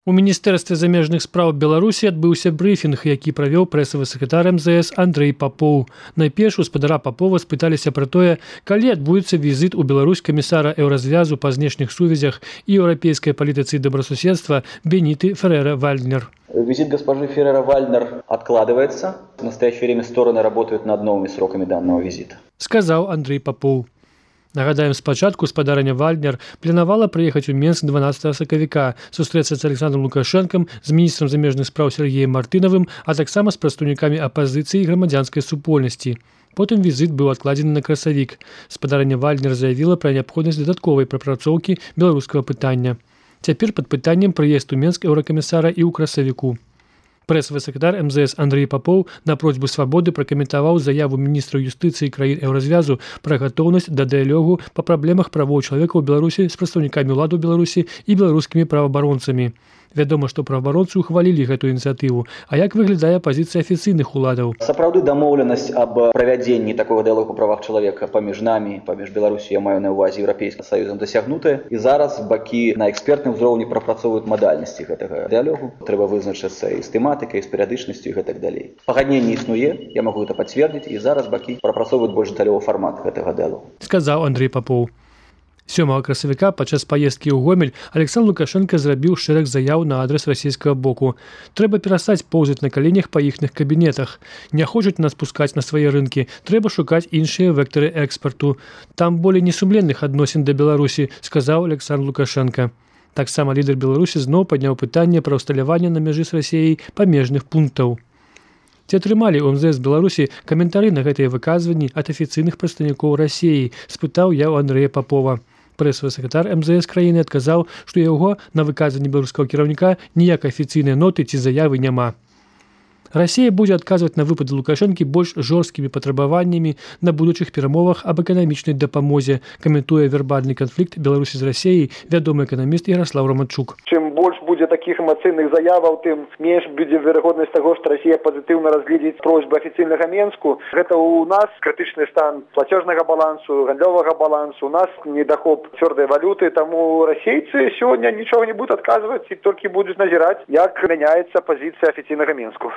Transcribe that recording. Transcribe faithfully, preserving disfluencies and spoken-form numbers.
У міністэрстве замежных спраў Беларусі адбыўся брыфінг, які правёў прэсавы сакратар эм зэ эс Андрэй Папоў. Найперш у спадара Папова спыталіся пра тое, калі адбудзецца візіт у Беларусь камісара Еўразвязу па знешніх сувязях і еўрапейскай палітыцы і добрасуседства Бениты Феррера-Вальднер. Визит госпожи Феррера-Вальднер откладывается. В настоящее время стороны работают над новыми сроками данного визита. Сказаў Андрэй Папоў. Нагадаем, спачатку спадарыня Вальднер планавала прыехаць у Менск дванаццатага сакавіка, сустрэцца з Александром Лукашэнкам, з міністрам замежных спраў Сергеем Мартынавым, а таксама з прадстаўнікамі апазіцыі і грамадзянскай супольнасці. Потым візіт быў адкладзены на красавік. Спадарыня Вальднер заявіла пра неабходнасць дадатковай прапрацоўкі беларускага пытання. Цяпер пад пытаннем прыезд у Менск еўракамісара і ў красавіку. Прэсавы сакратар эм зэ эс Андрэй Папоў на просьбу свабоды пракаментаваў заяву міністра юстыцыі краін Еўразвязу пра гатоўнасць да дыялогу па праблемах правоў чалавека ў Беларусі з прадстаўнікамі ўлады ў Беларусі і беларускімі праваабаронцамі. Вядома, што праваабаронцы ўхвалілі гэтую ініцыятыву. А як выглядае пазіцыя афіцыйных уладаў? Сапраўды дамоўленасць аб правядзенні такога дыялогу па правах чалавека паміж намі, паміж Беларусі, я маю на ўвазе Еўрапейскім Саюзам, дасягнутая. І зараз бакі на экспертным узроўні прапрацоўваюць мадальнасці гэтага дыялогу. Трэба вызначыцца і з тэматыкай, і з перыядычнасцю і гэтак далей. Пагадненне існуе, я магу гэта пацвердзіць, і зараз бакі прапрацоўваюць больш дэталёвы фармат гэтага дыялогу. Сказаў Андрэй Папоў. сёмага красавіка падчас паездкі ў Гомель Александр Лукашенко зрабіў шэраг заяў на адрас расійскага боку. Трэба перастаць поўзаць на каленях па іхных кабінетах. Не хочуць нас пускаць на свае рынкі. Трэба шукаць іншыя вектары экспарту. Там болей несумленных адносін да Беларусі, сказаў Александр Лукашенко. Таксама лідар Беларусі зноў падняў пытанне пра ўсталяванне на мяжы з Расіяй памежных пунктаў. Ці атрымалі ў эм зэ эс Беларусі каментары на гэтыя выказванні ад афіцыйных прадстаўнікоў Расіі, спытаў я ў Андрэя Папова. Прэсавы сакратар эм зэ эс краіны адказаў, што яго на выказванні беларускага кіраўніка ніякай афіцыйнай ноты ці заявы няма. Расія будзе адказваць на выпады Лукашэнкі больш жорсткімі патрабаваннямі на будучых перамовах аб эканамічнай дапамозе, каментуе вербальны канфлікт Беларусі з Расіяй вядомы эканаміст Яраслаў Раманчук. Чым больш будзе такіх эмацыйных заяваў, тым менш будзе верагоднасць таго, што Расія пазітыўна разгледзіць просьбы афіцыйнага Менску. Гэта ў нас крытычны стан плацежнага балансу, гандлёвага балансу, у нас недахоп цвёрдай валюты, таму расейцы сёння нічога не будуць адказваць і толькі будуць назіраць, як мяняецца пазіцыя афіцыйнага Менску.